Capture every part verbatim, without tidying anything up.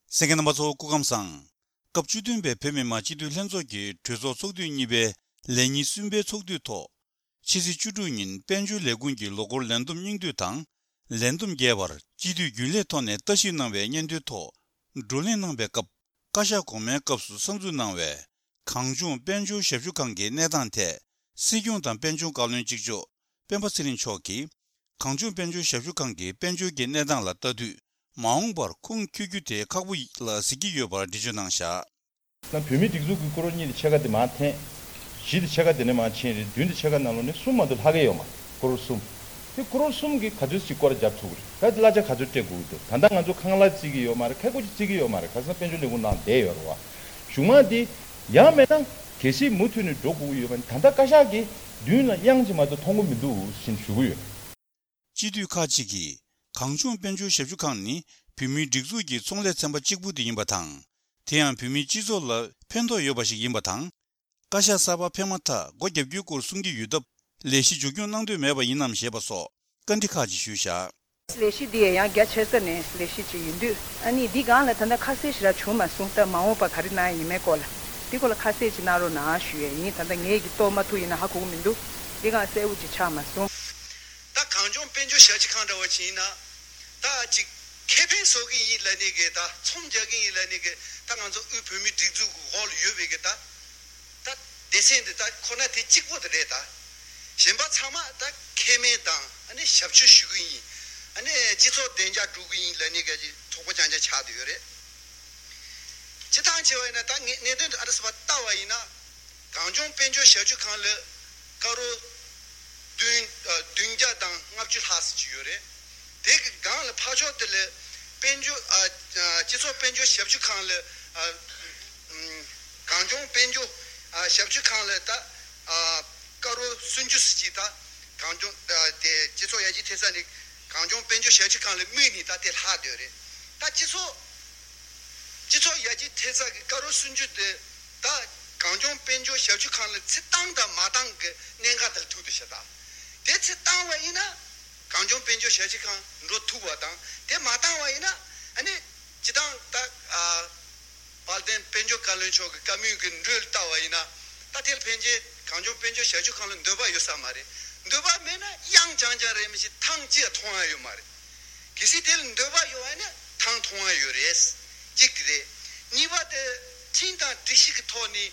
གསན་མཁན་རྣམ་པ་ཚོ་སྐུ་ཁམས་བཟང་། སྐབས་བཅུ་བདུན་པའི་བོད་མི་མང་སྤྱི་འཐུས་ལྷན་ཚོགས་ཀྱི་གྲོས་ཚོགས་ཚོགས་དུས་གཉིས་པའི་ལས་ཉིན་གསུམ་པའི་ཚོགས་དུས་ཐོག་ཕྱི་ཚེས་བཅུ་དྲུག་ཉིན་དཔལ་འབྱོར་ལས་ཁུངས་ཀྱི་ལོ་འཁོར་ལས་བསྡོམས་སྙིང་བསྡུས་དང་། ལས་བསྡོམས་རྒྱས་པར་སྤྱི་འཐུས་རྒྱུན་ལས་ཐོག་ནས་ལྟ་ཞིབ་གནང་བའི་སྙན་ཐོའི་ཐོག་བགྲོ་གླེང་གནང་བའི་སྐབས། བཀའ་ཤག་གོང་མའི་སྐབས་སུ་གསར་འཛུགས་གནང་བའི་གངས་ལྗོངས་དཔལ་འབྱོར་ཞབས་ཞུ་ཁང་གི་གནས་སྟངས་ཐད། སྲིད་སྐྱོང་དང་དཔལ་འབྱོར་བཀའ་བློན་གཅིག་ལྕོགས་སྤེན་པ་ཚེ་རིང་མཆོག་གིས། གངས་ལྗོངས་དཔལ་འབྱོར་ཞབས་ཞུ་ཁང་གི་དཔལ་འབྱོར་གྱི་གནས་སྟངས་ལ་ལྟ་དུས། མ་འོངས་པར་ཁུངས་འཁྱོལ་རྒྱུ་དེ་ཁག་པོ་ལ་གཟིགས་ཀྱི་ཡོད་པར་འགྲེལ་བརྗོད་གནང་བཞག་ན། བོད་མིའི་སྒྲིག་འཛུགས་ཀྱི་ཀོ་རོར་གཉིས་དང་ཕྱེད་ཀ་དེ་མར་འཐེན། བཞི་དང་ཕྱེད་ཀ་དེ་ནས་མར་ཕྱིན་རེད། བདུན་དང་ཕྱེད་ཀ་ནང་ལོགས་ནས་གསུམ་མ་གཏོགས་ལྷག་གི་ཡོད་མ་རེད། ཀོ་རོར་གསུམ། དེ་ཀོ་རོར་གསུམ་གྱིས་ག་ཚོད་ཅིག་སྐོར་ར་རྒྱབ་ཐུབ་ཀྱི་རེད། ད་གླ་ཆ་ག་ཚོད་སྤྲད་དགོས་ཀྱི་འདུག་ད་ལྟ་ང་ཚོ་ཁང་གླ་བརྩི་གི་ཡོད་མ་རེད། ཁལ་ཀོ་ཅིག་བརྩི་གི་ཡོད་མ་རེད། ག་ཟེར་ན་དཔལ་འབྱོར་ལས་ཁུངས་ནང་བསྡད་ཡོད་རེད་བ། གཞུག་མ་དེ་ཡང་མེད་ན་གལ་སྲིད་མུ་མཐུད་ནས་འགྲོ་དགོས་ཀྱི་ཡོད་པ་ནི། ད་ལྟ་བཀའ་ཤག་གིས་མདུན་ལ་དབྱངས་ཅིག་མ་གཏོགས་མཐོང་གི་མི་འདུག་ཟེར་ཞུ་གི་ཡོད། སྤྱི་འཐུས་ཁག་ཅིག་གིས་གངས་ལྗོངས་དཔལ་འབྱོར་ཞབས་ཞུ་ཁང་ནི་བོད་མིའི་སྒྲིག་འཛུགས་ཀྱི་ཚོང་ལས་ཚན་པ་གཅིག་པུ་དེ་ཡིན་པ་དང་། དེ་ཡང་བོད་མིའི་སྤྱི་ཚོགས་ལ་ཕན་ཐོགས་ཡོད་པ་ཞིག་ཡིན་པ་དང་། བཀའ་ཤག་གསར་པ་ཕེབས་མ་ཐག་སྒོ་རྒྱབ་རྒྱུའི་སྐོར་གསུང་གི་ཡོད་སྟབས། ལས་གཞི་མཇུག་སྐྱོང་གནང་འདོད་མེད་པ་ཡིན་ནམ་ཞེས་པ་སོགས་བཀའ་འདྲི་ཁག་ཅིག་ཞུས་བཞག་ལས་གཞི་འདི་ཡང་རྒྱ་ཆེ་ས་ནས་ལས་གཞི་ཅིག་ཡིན་དུས། ཨ་ནི་འདི་སྒང་ལ་ད་ལྟ་ཁ་གསལ་ཞེ་དྲག་བྱུང་མ་སོང་། ད་མ་འོངས་པ་ག་རེ་གནང་ཡ་ཡིན་མིན་སྐོར་ལ། འདི་སྐོར་ལ་ཁ་གསལ་ཅིག་གནང་རོགས་གནང་ཞུ་ཡས་ཡིན། ད་ལྟ་ངས་ཀྱིས་རྟོགས་མ་ཐུབ་ཡིན་ན་ཧ་གོ་གི་མི་འདུག་འདི་སྒང་གསལ་བོ་ཅིག་ཆགས་མ་སོང་། ད་གངས་ལྗོངས་དཔལ་འབྱོར་ཞབས་ཞུ་ཁང་འདྲ་བོ་ཅིག་ཡིན་ན། ད་ཅིག་ཁེ་ཕན་བཟོ་གི་ཡིན་ལབ་ནས་གི། ད་ཚོང་རྒྱག་གི་ཡིན་ལབ་ནས་གི། ད་ང་ཚོ་དབུས་བོད་མིའི་སྒྲིག་འཛུགས་ཀྱི་འོག་ལ་ཡོད་པའི་གི་ད། ད་སྡེ་ཚན་འདི་ད་ཁོ་ན་དེ་གཅིག་པོ་དེ་རེད་ད། གཞན་པ་ཚང་མ་ད་ཁེ་ཕན་དང་ཨ་ནི་ཞབས་ཞུ་ཞུ་གི་ཡིན། ཨ་ནི་སྤྱི་ཚོགས་བདེ་འཇགས་སྒྲུབ་གི་ཡིན་ལབ་ནས་གི་ཚོགས་པ་རྐྱང་རྐྱང་ཆགས་བསྡད་ཡོད་རེད། སྤྱིར་བཏང་བྱས་པ་ཡིན་ན། ད་ངས་གནད་དོན་འདི་ཨ་རི་སི་པ་ལྟ་བ་ཡིན་ན། གངས་ལྗོངས་དཔལ་འབྱོར་ཞབས་ཞུ་ཁང་ལ་སྐར་རོ་བདུན་ཨ་བདུན་བརྒྱ་དང་ལྔ་བཅུ་ལྷག་ཙམ་ཅིག་ཡོད་རེད། དེ་གི་སྒང་ལ་ཕར་ཕྱོགས་དེ་ལ་དཔལ་འབྱོར་ཨ་ཨ་སྤྱི་ཚོགས་དཔལ་འབྱོར་ཞབས་ཞུ་ཁང་ལ་ཨ་ཨམ་གངས་ལྗོངས་དཔལ་འབྱོར་ཨ་ཞབས་ཞུ་ཁང་ལ་ད་ཨ་སྐར་རོ་སུམ་ཅུ་ཙམ་ཅིག་ད་གངས་ལྗོངས་ཨ་དེ་སྤྱི་ཚོགས་ཡར་རྒྱས་ཐེབས་རྩ་ནས་གངས་ལྗོངས་དཔལ་འབྱོར་ཞབས་ཞུ་ཁང་ལ་དམིགས་ནས་ད་དེ་ལྷག་བསྡད་ཡོད་རེད། ད་སྤྱི་ཚོགས་སྤྱི་ཚོགས་ཡར་རྒྱས་ཐེབས་རྩ་གི་སྐར་རོ་སུམ་ཅུ་དེ་ད་གངས་ལྗོངས་དཔལ་འབྱོར་ཞབས་ཞུ་ཁང་ལ་ཚུར་བཏང་དང་མ་བཏང་གི་གནད་འགག་དེ་ལ་ཐུག་འདུག་ཤག་ད་དེ་ཚུར་བཏང་བ་ཡིན་ན་གངས་ལྗོངས་དཔལ་འབྱོར་ཞབས་ཞུ་ཁང་འགྲོ་ཐུབ་པ་དང་། དེ་མ་བཏང་བ་ཡིན་ན་ཨ་ནི་སྤྱིར་བཏང་ད་ཨ་དཔལ་ལྡན་དཔལ་འབྱོར་བཀའ་བློན་མཆོག་གི་བཀའ་མོལ་གྱི་འགྲོས་ལ་ལྟ་བ་ཡིན་ན། ད་དེ་ལ་ཕན་ཆད་གངས་ལྗོངས་དཔལ་འབྱོར་ཞབས་ཞུ་ཁང་ལ་འདོད་པ་ཡོད་ས་མ་རེད། འདོད་པ་མེད་ན་དབྱངས་རྐྱང་རྐྱང་རེད་མི་ཤེས། ཐང་ཅི་ཡང་མཐོང་ཡ་ཡོད་མ་རེད། གལ་སྲིད་དེ་ལ་འདོད་པ་ཡོད་པ་ཡིན་ན་ཐང་མཐོང་ཡ་ཡོད་རེད། གཅིག་དེ་རེད། གཉིས་པ་དེ་ཁྲིམས་དང་སྒྲིག་གཞི་གི་ཐོག་ནས་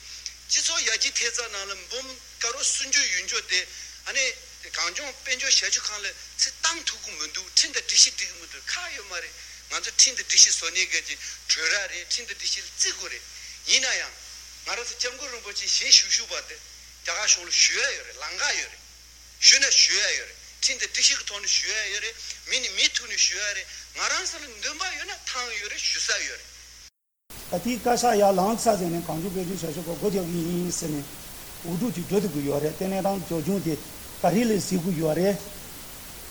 སྤྱི་ཚོགས་ཡར་རྒྱས་ཐེབས་རྩ་ནང་ལ་འབུམ་སྐར་རོ་སུམ་ཅུ་ཡོད་འཇོག་དེ་ཨ་ནི་གངས་ལྗོངས་དཔལ་འབྱོར་ཞབས་ཞུ་ཁང་ལ་ཚུར་བཏང་ཐུབ་ཀྱི་མི་འདུག་ཁྲིམས་དང་སྒྲིག་གཞི་འགྲིག་གི་མི་འདུག་ཁག་ཡོད་མ་རེད། ང་ཚོ་ཁྲིམས་དང་སྒྲིག་གཞི་བཟོ་ནས་གལ་ཆེ་གྲོས་ར་རེད། ཁྲིམས་དང་སྒྲིག་གཞི་ལ་བརྩི་དགོས་རེད། ཡིན་ན་ཡང་ང་རང་ཚོ་སྐྱབས་མགོན་རིན་པོ་ཆེ་ཞལ་བཞུགས་བཞུགས་པ་དེ་རྒྱ་གར་གཞུང་ལ་ཞུ་ཡ་ཡོད་རེད། ལམ་ཁ་ཡོད་རེད། ཞུས་ན་ཞུ་ཡ་ཡོད་རེད། ཁྲིམས་དང་སྒྲིག་གཞི་གི་ཐོག་ནས་ཞུ་ཡ་ཡོད་རེད། མི་ནས་མི་ཐུག་ནས་ཞུ་ཡ་རེད། ང་རང་ཚོ་ལ་འདུན་པ་ཡོད་ན་ཐང་ཡོད་རེད། ཞུ་ས་ཡོད་རེད། ད་ལྟའི་བཀའ་ཤག་ཡར་ལངས་ཚར་ཟིན་ནས་གངས་ལྗོངས་དཔལ་འབྱོར་ཞབས་ཞུ་ཁང་སྒོ་རྒྱག་གི་ཡིན་ཟེར་ནས་འུ་ཐུག་ཅིག་འགྲོ་ཐུབ་ཀྱི་ཡོད་རེད། དེ་ནས་དང་འབྱོར་བྱུང་དེ་ག་རེ་ལས་གཟིགས་ཀྱི་ཡོད་རེད།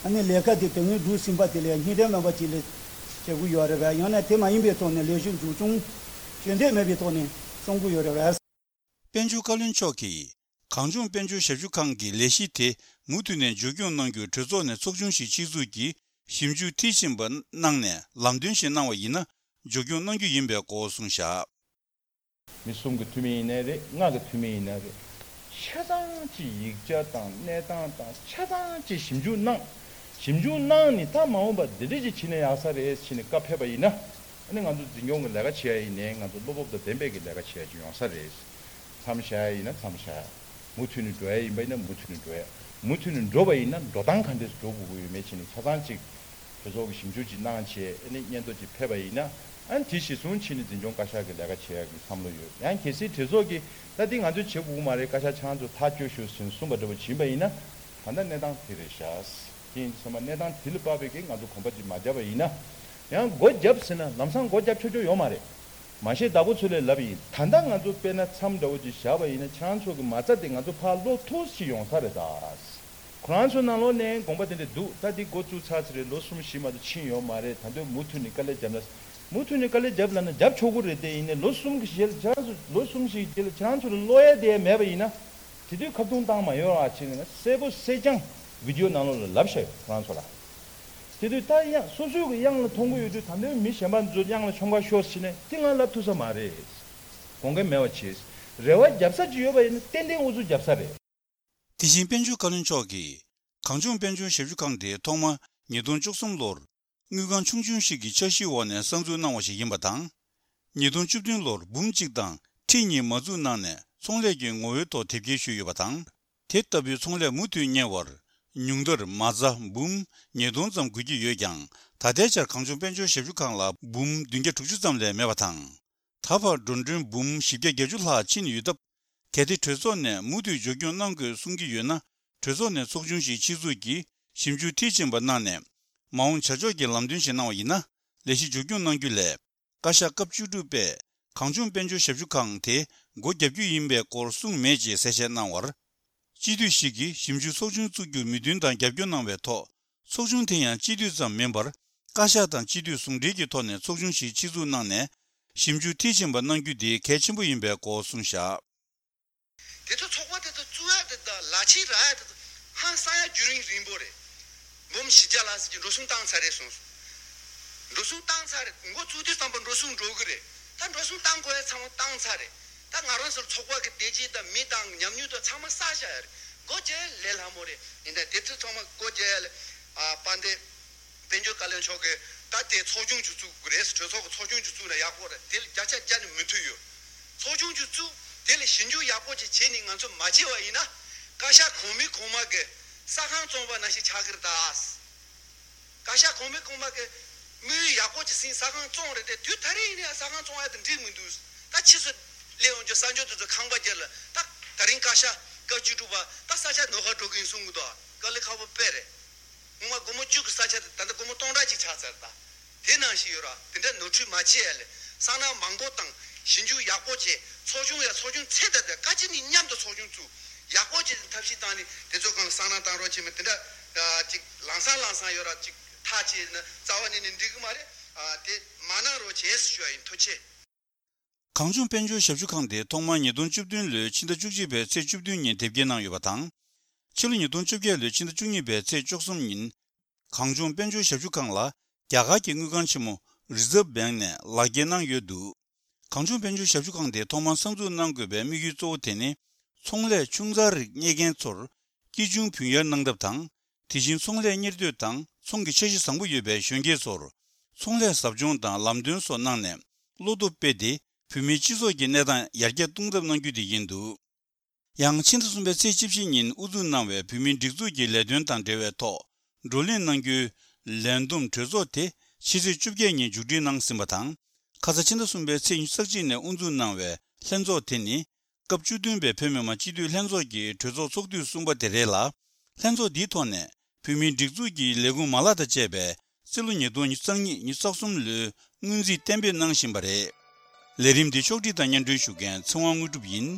ཨ་ནི་ལས་ཀ་དེ་དོན་དངོས་སྒྲུབ་ཟིན་པ་དེ་ལས་སྙིང་དོན་མེད་པ་ཅིག་ལས་བྱེད་ཀྱི་ཡོད་རེད་བས། ཡང་ན་དེ་མ་ཡིན་པའི་ཐོག་ནས་ལས་གཞི་འཇུག་བྱུང་བྱེད་འདོད་མེད་པའི་ཐོག་ནས་གསུང་གི་ཡོད་རེད་བས། དཔལ་འབྱོར་བཀའ་བློན་མཆོག་གིས་གངས་ལྗོངས་དཔལ་འབྱོར་ཞབས་ཞུ་ཁང་གི་ལས་གཞི་དེ་མུ་མཐུད་ནས་མཇུག་སྐྱོང་གནང་རྒྱུར་གྲོས་ཚོགས་ནས་ཚོགས་ཆུང་ཞིག་ཆེད་འཛུགས་ཀྱིས་ཞིབ་འཇུག་མཐིལ་ཕྱིན་པ་གནང་ནས་ལམ་སྟོན་ཞིག་གནང་བ་ཡིན་ན་མཇུག་སྐྱོང་གནང་རྒྱུ་ཡིན་པའི་སྐོར་གསུངས་བཞག་མི་གསུམ་གྱི་འཐུས་མི་ཡིན་ནའི་རེད། ལྔ་གི་འཐུས་མི་ཡིན་ནའི་རེད། ཆ་ཚང་གི་ཡིག་ཆ་དང་གནས་སྟངས་དང་ཆ་ཚང་གི་ཞིབ་འཇུག་གནང་། ཞིབ་འཇུག་གནང་ནས་ད་མ་འོངས་པ་འདི་འདྲ་ཅིག་བྱས་ན་ཡག་ས་རེད་ཟེར་ནས་བཀའ་ཕེབས་པ་ཡིན་ན། ཨ་ནི་ང་ཚོ་འཛིན་སྐྱོང་གི་ལས་ཀ་བྱེད་ཡ་ཡིན་ནའི་ང་ཚོ་བློ་སྤོབས་དང་ལྡན་པའི་གི་ལས་ཀ་བྱེད་ཡ་ཅིག་ཡོང་ས་རེད། མཚམས་བཞག་ཡ་ཡིན་ན་མཚམས་བཞག་ཡ། མུ་མཐུད་ནས་འགྲོ་ཡ་ཡིན་པ་ཡིན་ན་མུ་མཐུད་ནས་འགྲོ་ཡ། མུ་མཐུད་ནས་འགྲོ་བ་ཡིན་ན་འགྲོ་སྟངས་ག་འདྲས་སུ་འགྲོ་དགོས་ཀྱི་ཡོད་མེད་བྱས་ནས་ཆ་ཚང་ཅིག་གྲོས་ཚོགས་ཀྱི་ཞིབ་འཇུག་ཅིག་གནང་བྱས། ཨ་ནི་སྙན་ཐོ་ཅིག་ཕེབས་པ་ཡིན་ན། ཨ་ནི་དེ་གཞིར་བཟུང་བྱས་ནས་འཛིན་སྐྱོང་བཀའ་ཤག་གི་ལས་ཀ་བྱེད་ཡ་གི་བསམ་བློ་ཡོད། ཡང་གལ་སྲིད་གྲོས་ཚོགས་ཀྱིས་ད་འདི་ང་ཚོས་བྱེད་དགོས་ཀྱི་མ་རེད། བཀའ་ཤག་ཁྱེད་རང་ཚོ་ཐག་གཅོད་ཤོག་ཟེར་ནས་གསུངས་པ་འདྲ་བོ་ཡིན་པ་ཡིན་ན། ད་ལྟ་གནས་སྟངས་དེ་རེད་ཤག་དེ་ཡིན་དུས་ཙམ་པ་གནས་སྟངས་དེ་ལ་དཔག་པའི་གི་ང་ཚོ་གོམ་པ་ཅིག་མ་བརྒྱབ་པ་ཡིན་ན། ཡང་སྒོ་བརྒྱབ་ཟེར་ན་ལམ་སང་སྒོ་བརྒྱབ་ཆོག་ཆོག་ཡོད་མ་རེད། མ་གཞི་བདག་པོ་ཚོ་ལས་ལབ་ཡིན། ད་ལྟ་ང་ཚོ་དཔེར་ན་མཚམས་འདྲ་བོ་ཅིག་བཞག་པ་ཡིན་ན་ཁྱེད་རང་ཚོ་གི་མ་རྩ་དེ་ང་ཚོ་ཕར་སློག་ཐུབ་ཞིག་ཡོང་ས་རེད་ད། ཁོ་རང་ཚོའི་ནང་ལོགས་ནས་དགོངས་པ་དེ་འདྲ་འདུག་ད་འདི་འགོ་བཙུགས་ཚར་ཚར་རེད། ལོ་གསུམ་བཞི་མ་གཏོགས་ཕྱིན་ཡོད་མ་རེད། ད་དུང་མུ་མཐུད་ནས་དཀའ་ལས་བརྒྱབ་ན། མུ་མཐུད་ནས་དཀའ་ལས་བརྒྱབ་ལབ་ན་བརྒྱབ་ཆོག་གི་རེད། དེ་ཡིན་ནའི་ལོ་གསུམ་གྱི་རྗེས་ལ་ཁྱེད་རང་ཚོ་ལོ་གསུམ་ཞིག་རྗེས་ལ་ཁྱེད་རང་ཚོ་ལ་བློ་ཡ་དེ་ཡ་མེད་པ་ཡིན་ན། དེ་དུས་ཁ་བརྡུང་བཏང་མ་ཡོང་བ་བྱས་ནས་གསལ་པོ་གསལ་རྐྱང་བི་ཌི་ཡོ་ནང་ལོགས་ལ་ལབ་བཞག་ཡོད་ཁོ་རང་ཚོ་ལ། དེ་དུས་ད་དབྱངས་སོ་སོའི་གི་དབྱངས་ལ་མཐོང་གི་ཡོད་དུས། ད་ལྟའི་མི་གཞན་པ་ཚོ་དབྱངས་ལ་མཆོང་ཁ་ཤོར་ཕྱིན་ནས་དེ་ང་ལབ་ཐུབ་ས་མ་རེད། དགོངས་འགལ་མེད་པ་བྱས། རེ་བ་རྒྱབ་ས་ཅིག་ཡོད་པ་ཡིན་ན་ཏན་ཏན་ཨུ་ཚུགས་རྒྱབ་ས་རེད། དེ་བཞིན་དཔལ་འབྱོར་བཀའ་བློན་མཆོག་གིས་གངས་ལྗོངས་དཔལ་འབྱོར་ཞབས་ཞུ་ཁང་དེ་ཐོག་མ་ཉིས་སྟོང་བཅུ་གསུམ་ལོར་དངུལ་ཁང་ཆུང་ཆུང་ཞིག་གི་འཆར་གཞིའི་འོག་ནས་གསར་འཛུགས་གནང་བ་ཞིག་ཡིན་པ་དང་། ཉིས་སྟོང་བཅུ་བདུན་ལོར་འབུམ་གཅིག་དང་ཁྲི་གཉིས་མ་འཛུགས་གནང་ནས་ཚོང་ལས་ཀྱི་ངོ་བོའི་ཐོག་དེབ་སྐྱེལ་ཞུས་ཡོད་པ་དང་། དེ་ལྟ་བུའི་ཚོང་ལས་མུ་མཐུད་གཉེར་བར་ཉུང་མཐར་མ་རྩ་འབུམ་ཉིས་སྟོང་ཙམ་དགོས་ཀྱི་ཡོད་ཀྱང་། ད་ལྟའི་ཆར་གངས་ལྗོངས་དཔལ་འབྱོར་ཞབས་ཞུ་ཁང་ལ་འབུམ་བདུན་བརྒྱ་དྲུག་ཅུ་ཙམ་ལས་མེད་པ་དང་། ད་བར་འགྲོ་གྲོན་འབུམ་བཞི་བརྒྱ་བརྒྱད་ཅུ་ལྷག་ཕྱིན་ཡོད་སྟབས། གལ་ཏེ་གྲོས་ཚོགས་ནས་མུ་མཐུད་མཇུག་སྐྱོང་གནང་དགོས་གསུང་གི་ཡོད་ན། གྲོས་ཚོགས་ནས་ཚོགས་ཆུང་ཞིག་ཆེད་འཛུགས་ཀྱིས་ཞིབ་འཇུག་མཐིལ་ཕྱིན་པ་གནང་ནས། མ་འོངས་བྱ་ཕྱོགས་ཀྱི་ལམ་སྟོན་ཞིག་གནང་བ་ཡིན་ན། ལས་གཞི་མཇུག་སྐྱོང་གནང་རྒྱུ་ལས། བཀའ་ཤག་སྐབས་བཅུ་དྲུག་པས་གངས་ལྗོངས་དཔལ་འབྱོར་ཞབས་ཞུ་ཁང་དེ་སྒོ་བརྒྱབ་རྒྱུ་ཡིན་པའི་སྐོར་གསུངས་མེད་ཅེས་གསལ་བཤད་གནང་བར། སྤྱི་འཐུས་ཤིག་གིས་ཞིབ་འཇུག་ཚོགས་ཆུང་བཙུགས་རྒྱུར་མོས་མཐུན་དང་རྒྱབ་སྐྱོར་གནང་བའི་ཐོག་ཚོགས་ཆུང་དེ་ཡང་སྤྱི་འཐུས་ཙམ་མིན་པར། བཀའ་ཤག་དང་སྤྱི་འཐུས་ཟུང་འབྲེལ་གྱི་ཐོག་ནས་ཚོགས་ཆུང་ཞིག་ཆེད་འཛུགས་གནང་ནས། ཞིབ་འཇུག་མཐིལ་ཕྱིན་པ་གནང་རྒྱུ་དེ་གལ་ཆེན་པོ་ཡིན་པའི་སྐོར་གསུངས་བཞག་དེ་ཚོ་ཚོགས་པ་དེ་ཚོ་བཙུགས་ཡ་དེ་དང་ལག་ཁྱེར་རག་ཡ་དེ་ཚོ་ཧང་སང་ཡ་རྒྱུན་རིང་རིང་པོ་རེད། འབུམ་བཞི་བརྒྱ་ལ་ཟེར་གྱི་འགྲོ་སོང་བཏང་ཚར་རེད་གསུངས་སོང་། འགྲོ་སོང་བཏང་ཚར་རེད། འགོ་བཙུགས་དུས་ཙམ་པ་འགྲོ་སོང་འགྲོ་གི་རེད། ད་འགྲོ་སོང་བཏང་དགོས་ཡ་ཚང་མ་བཏང་ཚར་རེད། ད་ང་རང་ཚོར་ཚོགས་པ་གི་བདེ་སྐྱིད་དང་མི་དང་ཉམས་མྱོང་དང་ཚང་མ་བསགས་བཞག་ཡ་རེད། སྒོ་རྒྱག་ཡ་ལས་སླ་མོ་རེད། ཡིན་ད་དེ་ཚོ་ཚང་མ་སྒོ་རྒྱག་ཡ་ལས། ཨ་དཔལ་ལྡན་དཔལ་འབྱོར་བཀའ་བློན་མཆོག་གིས་ད་དེ་ཚོགས་ཆུང་ཅིག་བཙུགས་དགོས་རེད། གྲོས་ཚོགས་ཀྱི་ཚོགས་ཆུང་ཅིག་བཙུགས་ན་ཡག་པོ་རེད། དེ་ལ་བརྒྱ་ཆ་བརྒྱ་ནས་མོས་མཐུན་ཡོད། ཚོགས་ཆུང་ཅིག་བཙུགས། དེ་ལ་ཞིབ་འཇུག་ཡག་པོ་ཅིག་བྱས་ནས་ང་ཚོ་མ་བྱས་པ་ཡིན་ན། བཀའ་ཤག་གོང་མའི་གོང་མ་གི་ས་ཁང་བཙོང་པ་ནང་བཞིན་ཆགས་ཀྱི་རེད་ད། བཀའ་ཤག་གོང་མའི་གོང་མ་གི་དམིགས་ཡུལ་ཡག་པོ་ཅིག་ཟིན་ས་ཁང་བཙོང་རེད་དེ། དུས་ད་རེས་ཡིན་ན་ཡང་ས་ཁང་བཙོང་ཡ་དེ་འགྲིག་མི་འདུག་ད་ཕྱིས་སུ་སླེབས་ཡོང་རྒྱུ་གསར་འབྱོར་དེ་ཚོ་ཁང་པ་རྒྱག་ལ་ད་ད་རིང་བཀའ་ཤག་བཀའ་བཅུ་དྲུག་པ་ད་ས་ཆ་ནོར་ཁ་འགྲོ་གི་ཡིན་གསུང་གི་འདུག་དཀའ་ལས་ཁག་པོ་དཔེ་རེད། སྔོན་མ་སྒོར་མོ་བཅུ་གི་ས་ཆ་དེ་ད་ལྟ་སྒོར་མོ་སྟོང་ཕྲག་གཅིག་ཆགས་ཚར་ད། དེ་ནང་བཞིན་ཡོད་ར། དེ་འདྲ་ནོར་འཁྲུལ་མ་བྱེད་ཡ་ལས་སང་ནང་མང་པོ་དང་ཞིབ་འཇུག་ཡག་པོ་བྱས། ཚོགས་ཆུང་ཡ་ཚོགས་ཆུང་ཚད་ད་དེ་བཀའ་སྤྱི་གཉིས་མཉམ་དུ་ཚོགས་ཆུང་བཙུགས། ཡག་པོ་བྱས་ཐབས་ཤེས་བཏང་ནས་དེ་ཚོ་གང་སང་ནང་བཏང་རོགས་བྱས་མེད་དེ་འདྲ་ཅིག་ལང་སང་ལང་སང་ཡོད་ར། ཅིག་ཐག་བཅད་ན་རྩ་བ་ཉིད་ནས་འགྲིག་གི་མ་རེད། དེ་མ་གནང་རོགས་བྱས་ཞུ་བ་ཡིན། ཐུགས་རྗེ་ཆེ། གངས་ལྗོངས་དཔལ་འབྱོར་ཞབས་ཞུ་ཁང་དེ་ཐོག་མར་ཉིས་སྟོང་བཅུ་བདུན་ལོའི་ཕྱི་ཟླ་བཅུ་གཅིག་པའི་ཚེས་བཅུ་བདུན་ཉིན་དེབ་སྐྱེལ་གནང་ཡོད་པ་དང་། ཕྱི་ལོ་ཉིས་སྟོང་བཅོ་བརྒྱད་ལོའི་ཕྱི་ཟླ་བཅུ་གཉིས་པའི་ཚེས་བཅུ་གསུམ་ཉིན། གངས་ལྗོངས་དཔལ་འབྱོར་ཞབས་ཞུ་ཁང་ལ་རྒྱ་གར་གྱི་དངུལ་ཁང་ཆེན་མོ་Reserve Bank ནས་ལག་འཁྱེར་གནང་ཡོད་འདུག་གངས་ལྗོངས་དཔལ་འབྱོར་ཞབས་ཞུ་ཁང་དེ་ཐོག་མར་གསར་འཛུགས་གནང་དགོས་པའི་དམིགས་ཡུལ་གཙོ་བོ་དེ་ནི། ཚོང་ལས་ཆུང་ཙག་རིགས་གཉེར་མཁན་ཚོར་སྐྱིད་ཆུང་བུན་གཡར་གནང་ཐབས་དང་། དེ་བཞིན་ཚོང་ལས་གཉེར་འདོད་དང་ཚོང་གི་འཆར་གཞི་བཟང་པོ་ཡོད་པའི་གཞོན་སྐྱེས་ཚོར་ཚོང་ལས་ཟབ་སྦྱོང་དང་ལམ་སྟོན་སོགས་གནང་ནས་བློ་སྟོབས་སྤེལ་ཏེ། བོད་མིའི་སྤྱི་ཚོགས་ཀྱི་གནས་སྟངས་ཡར་རྒྱས་གཏོང་ཐབས་གནང་རྒྱུ་དེ་ཡིན་འདུག་ཡང་ཕྱི་ཟླ་གསུམ་པའི་ཚེས་བཅུ་བཞི་ཉིན་དབུ་འཛུགས་གནང་བའི་བོད་མིའི་སྒྲིག་འཛུགས་ཀྱི་ལས་དོན་དང་འབྲེལ་བའི་ཐོག་བགྲོ་གླེང་གནང་རྒྱུའི་ལས་བསྡོམས་གྲོས་ཚོགས་དེ་ཕྱི་ཚེས་བཅོ་བརྒྱད་ཉིན་མཇུག་སྒྲིལ་གནང་ཟིན་པ་དང་། ཁ་ས་ཕྱི་ཟླ་གསུམ་པའི་ཚེས་ཉི་ཤུ་རྩ་གཅིག་ནས་དབུ་འཛུགས་གནང་བའི་ལྷན་ཚོགས་དེ་ནི། སྐབས་བཅུ་བདུན་པའི་བོད་མི་མང་སྤྱི་འཐུས་ལྷན་ཚོགས་ཀྱི་གྲོས་ཚོགས་ཚོགས་དུས་གསུམ་པ་དེ་རེད་ལ། ལྷན་ཚོགས་འདིའི་ཐོག་ནས་བོད་མིའི་སྒྲིག་འཛུགས་ཀྱི་ལས་ཁུངས་མ་ལག་དང་བཅས་པའི་རྩིས་ལོ་ཉིས་སྟོང་ཉི་ཤུ་རྩ་གཉིས་ཉི་ཤུ་རྩ་གསུམ་ལོའི་སྔོན་རྩིས་གཏན་འབེབས་གནང་བཞིན་པ་རེད། ལས་རིམ་འདི་ཕྱོགས་སྒྲིག་དང་སྙན་སྒྲོན་ཞུ་མཁན་ཚེ་དབང་དངོས་གྲུབ་ཡིན།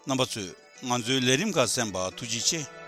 རྣམ་པ་ཚོས་ང་ཚོའི་ལས་རིམ་ཁག་གསན་པར་ཐུགས་རྗེ་ཆེ།